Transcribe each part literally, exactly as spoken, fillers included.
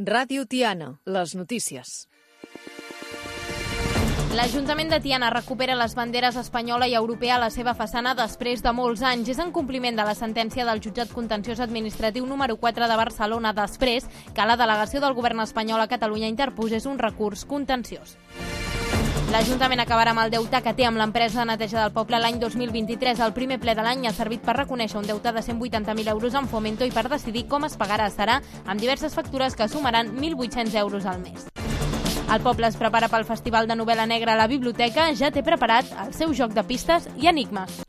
Ràdio Tiana, les notícies. L'Ajuntament de Tiana recupera les banderes espanyola i europea a la seva façana després de molts anys. És en compliment de la sentència del Jutjat Contenciós Administratiu número quatre de Barcelona després que la delegació del govern espanyol a Catalunya interposés un recurs contenciós. L'Ajuntament acabarà amb el deute que té amb l'empresa de neteja del poble l'any dos mil vint-i-tres. El primer ple de l'any ha servit per reconèixer un deute de cent vuitanta mil euros en Fomento i per decidir com es pagarà. Serà amb diverses factures que sumaran mil vuit-cents euros al mes. El poble es prepara pel Festival de Novel·la Negra a la biblioteca. Ja té preparat el seu joc de pistes i enigmes.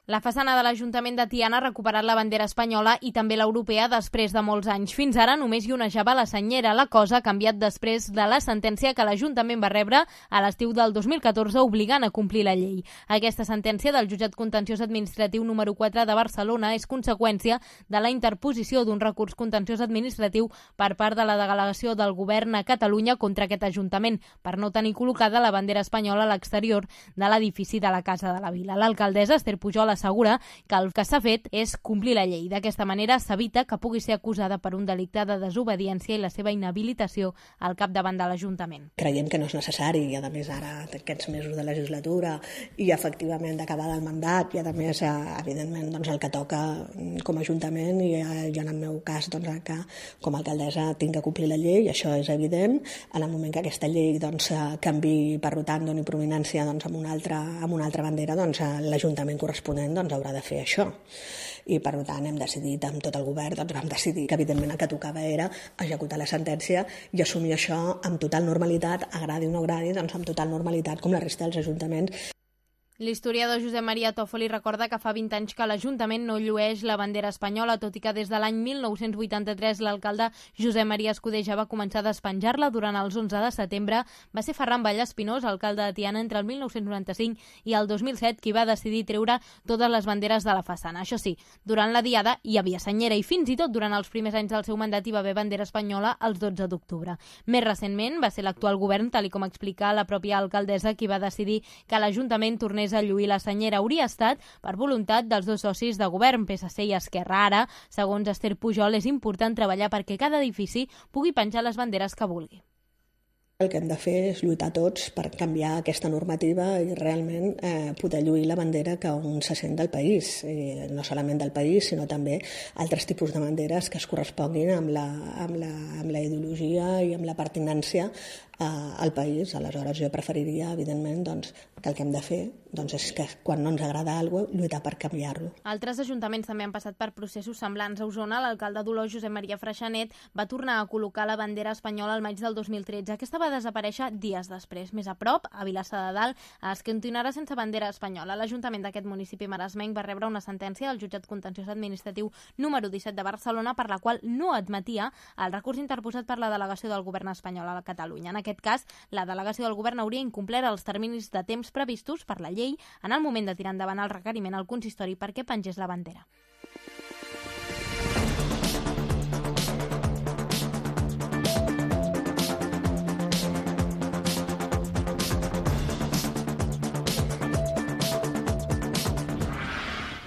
La façana de l'Ajuntament de Tiana ha recuperat la bandera espanyola i també l'europea després de molts anys. Fins ara només hi onejava la senyera. La cosa ha canviat després de la sentència que l'Ajuntament va rebre a l'estiu del dos mil catorze obligant a complir la llei. Aquesta sentència del Jutjat Contenciós Administratiu número quatre de Barcelona és conseqüència de la interposició d'un recurs contenciós administratiu per part de la delegació del govern a Catalunya contra aquest Ajuntament per no tenir col·locada la bandera espanyola a l'exterior de l'edifici de la Casa de la Vila. L'alcaldessa Esther Pujol assegura que el que s'ha fet és complir la llei. D'aquesta manera s'evita que pugui ser acusada per un delicte de desobediència i la seva inhabilitació al capdavant de l'Ajuntament. Creiem que no és necessari i a més ara aquests mesos de legislatura i efectivament d'acabar el mandat i a més evidentment doncs, el que toca com a Ajuntament i jo en el meu cas doncs, que com a alcaldessa tinc que complir la llei, això és evident. En el moment que aquesta llei doncs, canvi per tant doni prominència doncs, amb, una altra, amb una altra bandera, doncs, l'Ajuntament corresponent doncs haurà de fer això. I per tant hem decidit amb tot el govern, doncs vam decidir que evidentment el que tocava era executar la sentència i assumir això amb total normalitat, agradi o no agradi, doncs amb total normalitat com la resta dels ajuntaments. L'historiador Josep Maria Toffoli recorda que fa vint anys que l'Ajuntament no llueix la bandera espanyola, tot i que des de l'any mil nou-cents vuitanta-tres l'alcalde Josep Maria Escudé ja va començar a despenjar-la. Durant els onze de setembre va ser Ferran Vallespinós, alcalde de Tiana, entre el mil nou-cents noranta-cinc i el dos mil set, qui va decidir treure totes les banderes de la façana. Això sí, durant la diada hi havia senyera i fins i tot durant els primers anys del seu mandat hi va haver bandera espanyola els dotze d'octubre. Més recentment va ser l'actual govern, tal com explica la pròpia alcaldessa, qui va decidir que l'Ajuntament tornés a lluir la senyera. Hauria estat per voluntat dels dos socis de govern, P S C i Esquerra. Ara, segons Esther Pujol, és important treballar perquè cada edifici pugui penjar les banderes que vulgui. El que hem de fer és lluitar tots per canviar aquesta normativa i realment eh, poder lluir la bandera que on se sent del país. I no solament del país, sinó també altres tipus de banderes que es corresponguin amb la, amb la, amb la ideologia i amb la pertinència eh, al país. Aleshores jo preferiria, evidentment, doncs, que el que hem de fer doncs, és que quan no ens agrada alguna cosa, lluitar per canviar-lo. Altres ajuntaments també han passat per processos semblants. A Osona, l'alcalde d'Olot, Josep Maria Freixanet, va tornar a col·locar la bandera espanyola al maig del dos mil tretze. Aquesta va desaparèixer dies després. Més a prop, a Vilassar de Dalt, es continuarà sense bandera espanyola. L'Ajuntament d'aquest municipi maresmenc va rebre una sentència del Jutjat Contenciós Administratiu número disset de Barcelona per la qual no admetia el recurs interposat per la delegació del govern espanyol a Catalunya. En aquest cas, la delegació del govern hauria incomplert els terminis de temps previstos per la llei en el moment de tirar endavant el requeriment al consistori perquè pengés la bandera.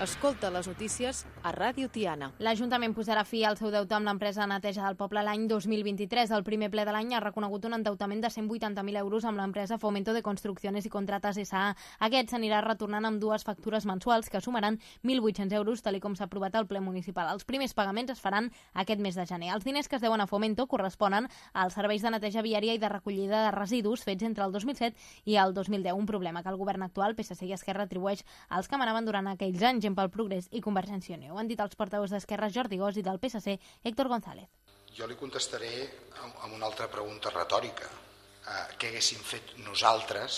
Escolta les notícies a Ràdio Tiana. L'Ajuntament posarà fi al seu deute amb l'empresa de neteja del poble l'any dos mil vint-i-tres. El primer ple de l'any ha reconegut un endeutament de cent vuitanta mil euros amb l'empresa Fomento de Construcciones i Contratas S A Aquest s'anirà retornant amb dues factures mensuals que sumaran mil vuit-cents euros, tal com s'ha aprovat al ple municipal. Els primers pagaments es faran aquest mes de gener. Els diners que es deuen a Fomento corresponen als serveis de neteja viària i de recollida de residus fets entre el dos mil set i el dos mil deu, un problema que el govern actual, P S C i Esquerra, atribueix als que manaven durant aquells anys, pel Progrés i Convergència i Unió. Ho han dit els portaveus d'Esquerra, Jordi Gós, i del P S C, Héctor González. Jo li contestaré amb una altra pregunta retòrica. Eh, què haguéssim fet nosaltres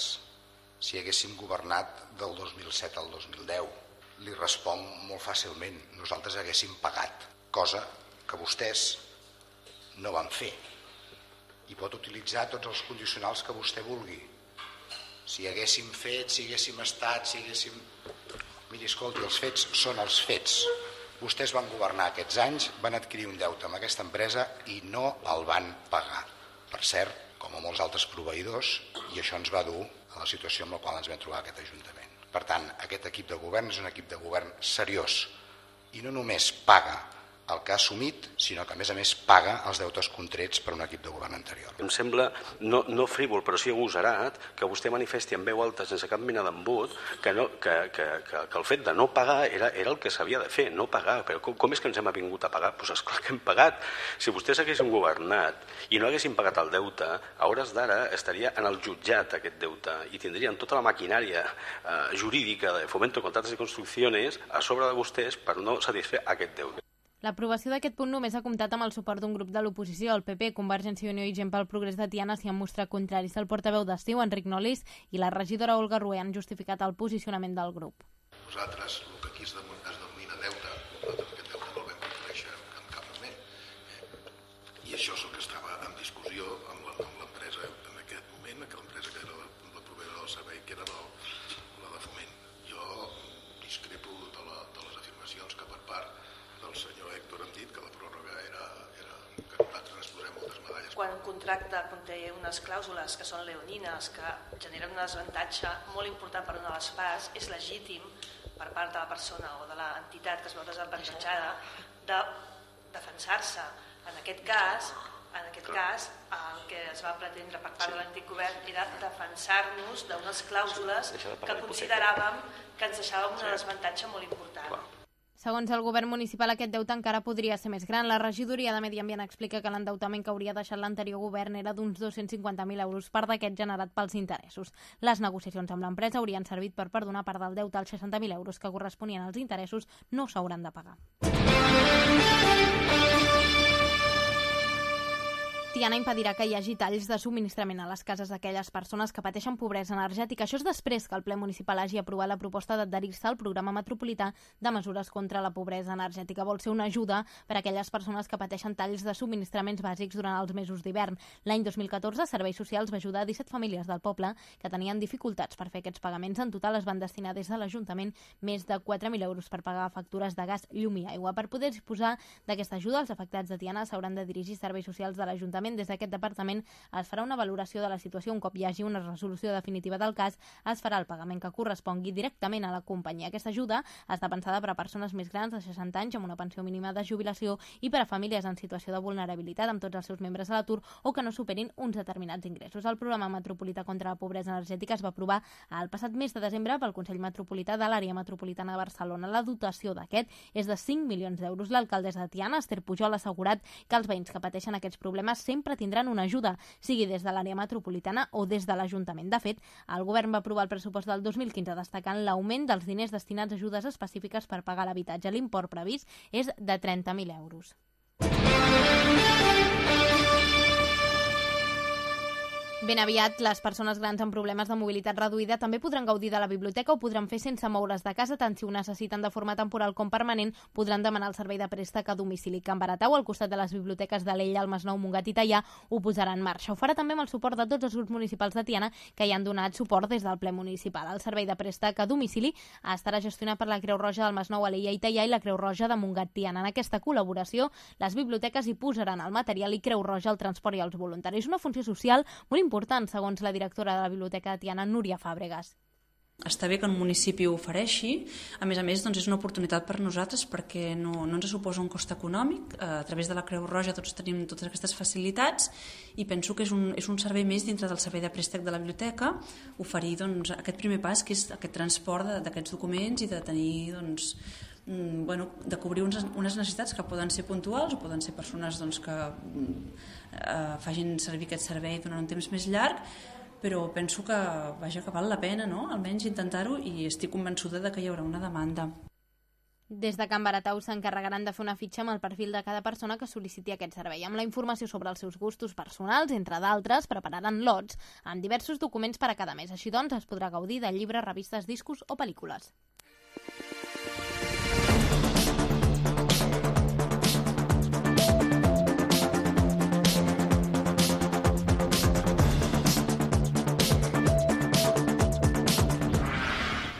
si haguéssim governat del dos mil set al dos mil deu? Li responc molt fàcilment. Nosaltres haguéssim pagat, cosa que vostès no van fer. I pot utilitzar tots els condicionals que vostè vulgui. Si haguéssim fet, si haguéssim estat, si haguéssim... Miri, escolti, els fets són els fets. Vostès van governar aquests anys, van adquirir un deute amb aquesta empresa i no el van pagar. Per cert, com a molts altres proveïdors, i això ens va dur a la situació amb la qual ens vam trobar aquest Ajuntament. Per tant, aquest equip de govern és un equip de govern seriós, i no només paga el que ha assumit, sinó que a més a més paga els deutes contrets per un equip de govern anterior. Em sembla, no, no frívol, però sí agosarat, que vostè manifesti en veu alta, sense cap mena d'embut, que, no, que, que, que, que el fet de no pagar era, era el que s'havia de fer, no pagar. Però com, com és que ens hem vingut a pagar? Doncs pues esclar que hem pagat. Si vostès haguessin governat i no haguessin pagat el deute, a hores d'ara estaria en el jutjat aquest deute i tindrien tota la maquinària eh, jurídica de Fomento de Contratos y Construcciones a sobre de vostès per no satisfer aquest deute. L'aprovació d'aquest punt només ha comptat amb el suport d'un grup de l'oposició. El P P, Convergència i Unió i Gent pel Progrés de Tiana s'hi han mostrat contraris. El portaveu d'Estiu, Enric Nolis, i la regidora Olga Rué han justificat el posicionament del grup. Nosaltres, el que aquí es denomina deute, nosaltres aquest deute no el vam conèixer en cap moment. I això és el que estava en discussió amb l'empresa en aquest moment, que l'empresa que era la proveïdora del servei, que era la de Foment. Jo discrepo de, la, de les afirmacions que per part del senyor Héctor hem dit que la pròrroga era, era que nosaltres ens posem moltes medalles. Quan un contracte conté unes clàusules que són leonines, que generen un desavantatge molt important per una de les parts, és legítim per part de la persona o de l'entitat que es veu desavantatjada de defensar-se. En aquest cas, en aquest cas, el que es va pretendre per part de l'antic govern era defensar-nos d'unes clàusules que consideràvem que ens deixàvem un desavantatge molt important. Segons el govern municipal, aquest deute encara podria ser més gran. La regidoria de Medi Ambient explica que l'endeutament que hauria deixat l'anterior govern era d'uns dos-cents cinquanta mil euros, part d'aquest generat pels interessos. Les negociacions amb l'empresa haurien servit per perdonar part del deute als seixanta mil euros que corresponien als interessos no s'hauran de pagar. Tiana impedirà que hi hagi talls de subministrament a les cases d'aquelles persones que pateixen pobresa energètica. Això és després que el ple municipal hagi aprovat la proposta d'adherir-se al programa metropolità de mesures contra la pobresa energètica. Vol ser una ajuda per a aquelles persones que pateixen talls de subministraments bàsics durant els mesos d'hivern. L'any dos mil catorze, Serveis Socials va ajudar disset famílies del poble que tenien dificultats per fer aquests pagaments. En total es van destinar des de l'Ajuntament més de quatre mil euros per pagar factures de gas, llum i aigua. Per poder disposar d'aquesta ajuda, els afectats de Tiana s'hauran de dirigir Serveis Socials de l'Ajuntament. Des d'aquest departament es farà una valoració de la situació. Un cop hi hagi una resolució definitiva del cas, es farà el pagament que correspongui directament a la companyia. Aquesta ajuda està pensada per a persones més grans de seixanta anys amb una pensió mínima de jubilació i per a famílies en situació de vulnerabilitat amb tots els seus membres a l'atur o que no superin uns determinats ingressos. El programa metropolità contra la pobresa energètica es va aprovar el passat mes de desembre pel Consell Metropolità de l'Àrea Metropolitana de Barcelona. La dotació d'aquest és de cinc milions d'euros. L'alcaldessa de Tiana, Esther Pujol, ha assegurat que els veïns que pateixen aquests problemes sempre tindran una ajuda, sigui des de l'àrea metropolitana o des de l'Ajuntament. De fet, el govern va aprovar el pressupost del dos mil quinze destacant l'augment dels diners destinats a ajudes específiques per pagar l'habitatge. L'import previst és de trenta mil euros. Ben aviat, les persones grans amb problemes de mobilitat reduïda també podran gaudir de la biblioteca o podran fer sense moure's de casa, tant si ho necessiten de forma temporal com permanent, podran demanar el servei de préstec a domicili. Can Baratau, al costat de les biblioteques d'Alella, el Masnou, Montgat i Teià, ho posarà en marxa. Ho farà també amb el suport de tots els grups municipals de Tiana que hi han donat suport des del ple municipal. El servei de préstec a domicili estarà gestionat per la Creu Roja del Masnou, Alella i Teià i la Creu Roja de Montgat, Tiana. En aquesta col·laboració, les biblioteques hi posaran el material i Creu Roja el transport i els voluntaris. Una funció social molt important, segons la directora de la Biblioteca de Tiana, Núria Fàbregas. Està bé que un municipi ho ofereixi, a més a més doncs és una oportunitat per nosaltres perquè no, no ens suposa un cost econòmic, a través de la Creu Roja tots tenim totes aquestes facilitats i penso que és un, és un servei més dintre del servei de préstec de la biblioteca, oferir doncs, aquest primer pas que és aquest transport d'aquests documents i de tenir doncs, bueno, de cobrir unes, unes necessitats que poden ser puntuals o poden ser persones doncs, que eh, facin servir aquest servei durant un temps més llarg, però penso que, vaja, que val la pena, no? Almenys intentar-ho, i estic convençuda de que hi haurà una demanda. Des de Can Baratau s'encarregaran de fer una fitxa amb el perfil de cada persona que sol·liciti aquest servei. Amb la informació sobre els seus gustos personals, entre d'altres, prepararan lots amb diversos documents per a cada mes. Així doncs, es podrà gaudir de llibres, revistes, discos o pel·lícules.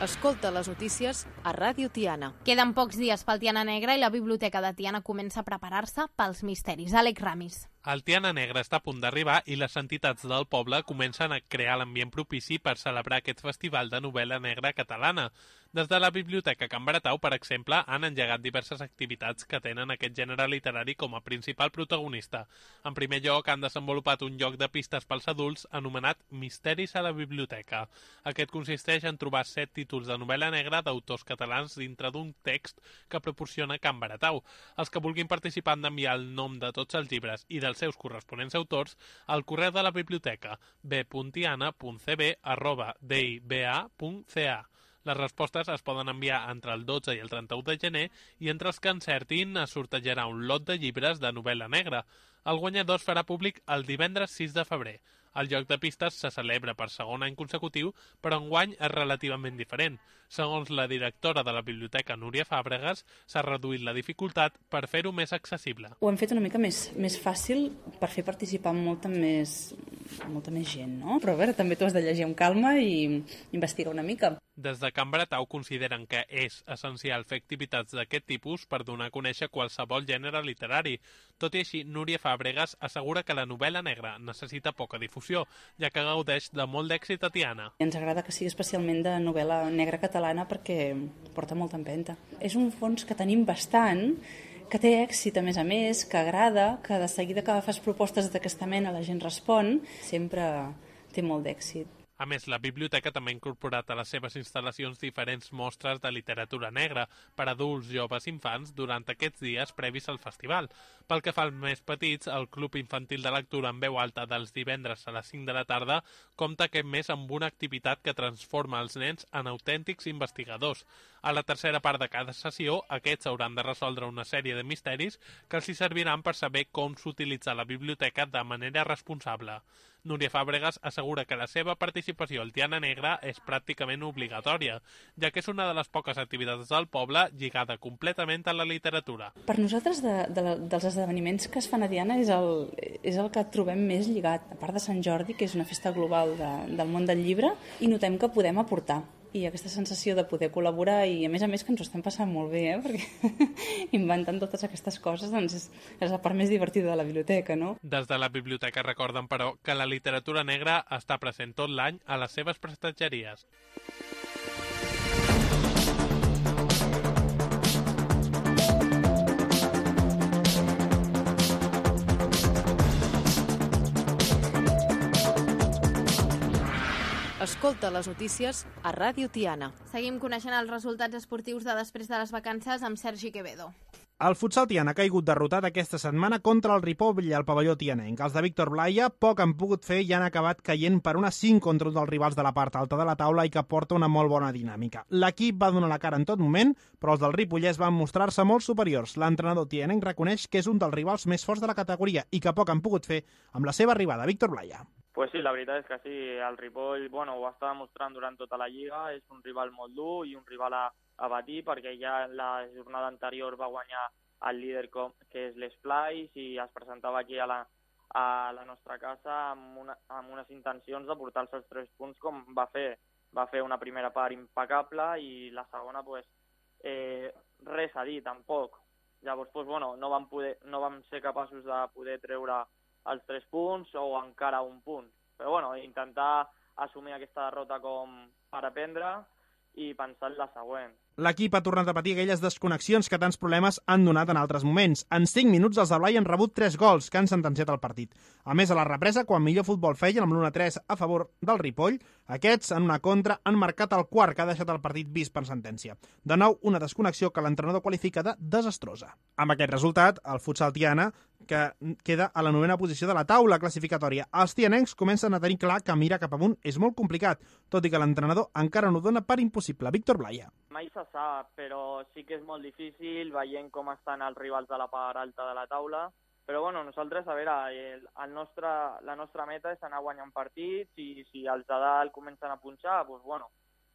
Escolta les notícies a Ràdio Tiana. Queden pocs dies pel Tiana Negra i la Biblioteca de Tiana comença a preparar-se pels misteris. Àlex Ramis. El Tiana Negra està a punt d'arribar i les entitats del poble comencen a crear l'ambient propici per celebrar aquest festival de novel·la negra catalana. Des de la Biblioteca Can Baratau, per exemple, han engegat diverses activitats que tenen aquest gènere literari com a principal protagonista. En primer lloc, han desenvolupat un joc de pistes pels adults anomenat Misteris a la Biblioteca. Aquest consisteix en trobar set títols de novel·la negra d'autors catalans dintre d'un text que proporciona Can Baratau. Els que vulguin participar han d'enviar el nom de tots els llibres i dels seus corresponents autors al correu de la biblioteca b punt tiana punt c b arroba d i b a punt c a. Les respostes es poden enviar entre el dotze i el trenta-u de gener i entre els que encertin es sortejarà un lot de llibres de novel·la negra. El guanyador es farà públic el divendres sis de febrer. El joc de pistes se celebra per segon any consecutiu, però enguany és relativament diferent. Segons la directora de la biblioteca, Núria Fàbregas, s'ha reduït la dificultat per fer-ho més accessible. Ho hem fet una mica més, més fàcil per fer participar molta més, molta més gent, no? Però a veure, també t'ho has de llegir amb calma i investigar una mica. Des de Can Baratau consideren que és essencial fer activitats d'aquest tipus per donar a conèixer qualsevol gènere literari. Tot i així, Núria Fàbregas assegura que la novel·la negra necessita poca difusió, ja que gaudeix de molt d'èxit a Tiana. Ens agrada que sigui especialment de novel·la negra catalana perquè porta molta empenta. És un fons que tenim bastant, que té èxit a més a més, que agrada, que de seguida que fas propostes d'aquesta mena la gent respon, sempre té molt d'èxit. A més, la biblioteca també ha incorporat a les seves instal·lacions diferents mostres de literatura negra per adults, joves i infants durant aquests dies previs al festival. Pel que fa als més petits, el Club Infantil de Lectura en veu alta dels divendres a les cinc de la tarda compta aquest mes amb una activitat que transforma els nens en autèntics investigadors. A la tercera part de cada sessió, aquests hauran de resoldre una sèrie de misteris que els hi serviran per saber com s'utilitza la biblioteca de manera responsable. Núria Fàbregas assegura que la seva participació al Tiana Negra és pràcticament obligatòria, ja que és una de les poques activitats del poble lligada completament a la literatura. Per nosaltres, de, de, dels esdeveniments que es fan a Tiana és el, és el que trobem més lligat, a part de Sant Jordi, que és una festa global de, del món del llibre, i notem que podem aportar. I aquesta sensació de poder col·laborar i, a més a més, que ens ho estem passant molt bé, eh? Perquè inventant totes aquestes coses doncs és, és la part més divertida de la biblioteca, no? Des de la biblioteca recorden, però, que la literatura negra està present tot l'any a les seves prestatgeries. Escolta les notícies a Ràdio Tiana. Seguim coneixent els resultats esportius de després de les vacances amb Sergi Quevedo. El futsal tiana ha caigut derrotat aquesta setmana contra el Ripoll al pavelló tianenc. Els de Víctor Blaya poc han pogut fer i han acabat caient per una cinc contra un dels rivals de la part alta de la taula i que porta una molt bona dinàmica. L'equip va donar la cara en tot moment, però els del Ripollès van mostrar-se molt superiors. L'entrenador tianenc reconeix que és un dels rivals més forts de la categoria i que poc han pogut fer amb la seva arribada. Víctor Blaya. Pues sí, la veritat és que sí, el Ripoll bueno, ho està demostrant durant tota la Lliga, és un rival molt dur i un rival a, a batir perquè ja la jornada anterior va guanyar el líder com, que és l'Esplais i es presentava aquí a la, a la nostra casa amb, una, amb unes intencions de portar-se els tres punts com va fer. Va fer una primera part impecable i la segona pues, eh, res a dir tampoc. Llavors pues, bueno, no, vam poder, no vam ser capaços de poder treure els tres punts o encara un punt. Però bueno, intentar assumir aquesta derrota com per aprendre i pensar en la següent. L'equip ha tornat a patir aquelles desconnexions que tants problemes han donat en altres moments. En cinc minuts els de Blai han rebut tres gols que han sentenciat el partit. A més, a la represa, quan millor futbol feien amb l'u a tres a favor del Ripoll, aquests, en una contra, han marcat el quart que ha deixat el partit vist per sentència. De nou, una desconnexió que l'entrenador qualifica de desastrosa. Amb aquest resultat, el futsal tiana, que queda a la novena posició de la taula classificatòria. Els tianencs comencen a tenir clar que mirar cap amunt és molt complicat, tot i que l'entrenador encara no dona per impossible. Víctor Blaya. Mai se sap, però sí que és molt difícil veient com estan els rivals de la part alta de la taula. Però bueno, nosaltres, a veure, el, el nostre, la nostra meta és anar guanyant partits i si els de dalt comencen a punxar, doncs bueno,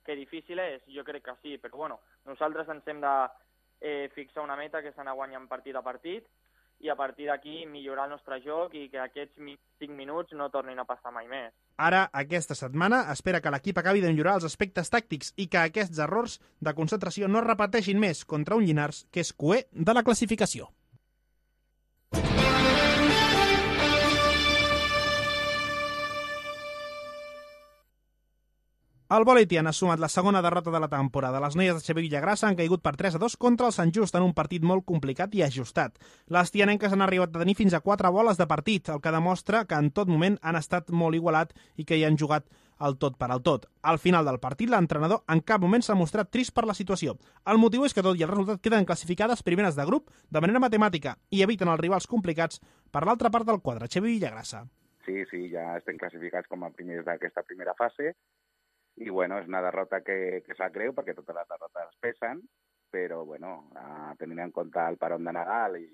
que difícil és, jo crec que sí, però bueno, nosaltres ens hem de eh, fixar una meta que és anar guanyant partit a partit i a partir d'aquí millorar el nostre joc i que aquests cinc minuts no tornin a passar mai més. Ara, aquesta setmana, espera que l'equip acabi de millorar els aspectes tàctics i que aquests errors de concentració no es repeteixin més contra un Llinars que és cuer de la classificació. El vòlei Tiana ha sumat la segona derrota de la temporada. Les noies de Xavier Villagrassa han caigut per tres a dos contra el Sant Just en un partit molt complicat i ajustat. Les tianenques han arribat a tenir fins a quatre boles de partit, el que demostra que en tot moment han estat molt igualat i que hi han jugat el tot per al tot. Al final del partit, l'entrenador en cap moment s'ha mostrat trist per la situació. El motiu és que tot i el resultat queden classificades primeres de grup de manera matemàtica i eviten els rivals complicats per l'altra part del quadre. Xavier Villagrassa. Sí, sí, ja estem classificats com a primers d'aquesta primera fase. I, bueno, és una derrota que, que sap greu perquè totes les derrotes pesen, però, bueno, eh, tenint en compte el peron de Nadal i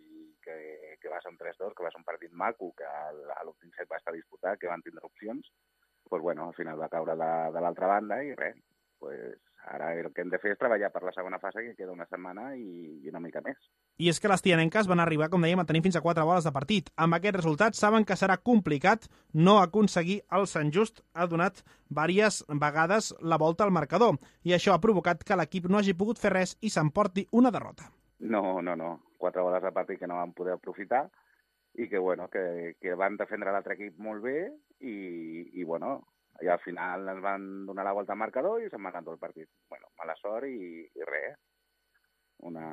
que, que va ser un tres dos, que va ser un partit maco, que a l'últim set va estar disputat, que van tindre opcions, doncs, bueno, al final va caure de, de l'altra banda i res, pues, ara el que hem de fer és treballar per la segona fase, que queda una setmana i, i una mica més. I és que les tianenques van arribar, com dèiem, a tenir fins a quatre boles de partit. Amb aquest resultat saben que serà complicat no aconseguir el Sant Just. Ha donat diverses vegades la volta al marcador i això ha provocat que l'equip no hagi pogut fer res i s'emporti una derrota. No, no, no. Quatre boles de partit que no van poder aprofitar i que, bueno, que, que van defendre l'altre equip molt bé i, i bueno, i al final ens van donar la volta al marcador i se'n va anar tot el partit. Bueno, mala sort i, i res. Una,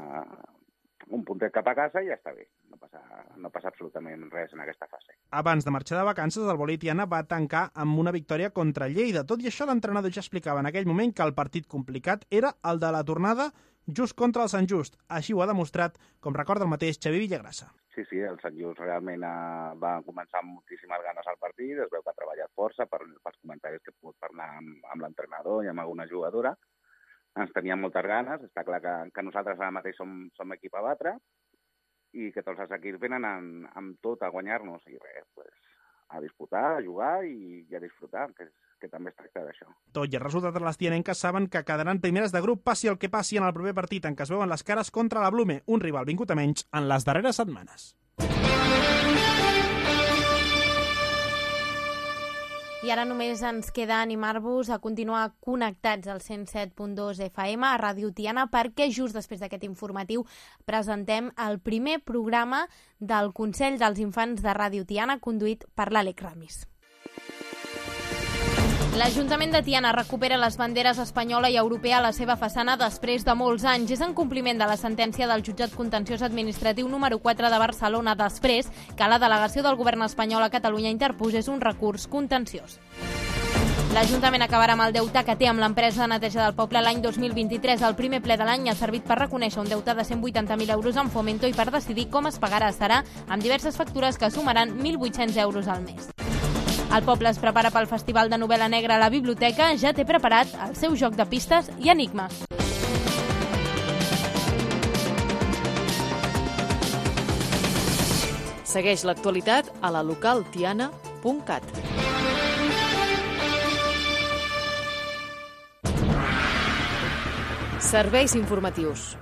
un puntet cap a casa i ja està bé. No passa, no passa absolutament res en aquesta fase. Abans de marxar de vacances, el vòlei Tiana va tancar amb una victòria contra Lleida. Tot i això, l'entrenador ja explicava en aquell moment que el partit complicat era el de la tornada just contra el Sant Just. Així ho ha demostrat, com recorda el mateix Xavier Villagrassa. Sí, sí, el Sant Just realment eh, va començar amb moltíssimes ganes al partit, es veu que ha treballat força per, pels comentaris que he pogut parlar amb, amb l'entrenador i amb alguna jugadora. Ens teníem moltes ganes, està clar que, que nosaltres ara mateix som, som equip a batre i que tots els equips venen amb, amb tot a guanyar-nos i res, pues, a disputar, a jugar i, i a disfrutar, que, que també es tracta d'això. Tot i el resultat, les tianenques saben que quedaran primeres de grup passi el que passi en el proper partit en què es veuen les cares contra la Blume, un rival vingut a menys en les darreres setmanes. I ara només ens queda animar-vos a continuar connectats al cent set punt dos F M a Ràdio Tiana perquè just després d'aquest informatiu presentem el primer programa del Consell dels Infants de Ràdio Tiana conduït per l'Àlex Ramis. L'Ajuntament de Tiana recupera les banderes espanyola i europea a la seva façana després de molts anys. És en compliment de la sentència del Jutjat Contenciós Administratiu número quatre de Barcelona després que la delegació del govern espanyol a Catalunya interposés un recurs contenciós. L'Ajuntament acabarà amb el deute que té amb l'empresa de neteja del poble l'any dos mil vint-i-tres. El primer ple de l'any ha servit per reconèixer un deute de cent vuitanta mil euros en Fomento i per decidir com es pagarà serà amb diverses factures que sumaran mil vuit-cents euros al mes. El poble es prepara pel Festival de Novel·la Negra a la biblioteca, ja té preparat el seu joc de pistes i enigmes. Segueix l'actualitat a la local tiana punt cat. Serveis informatius.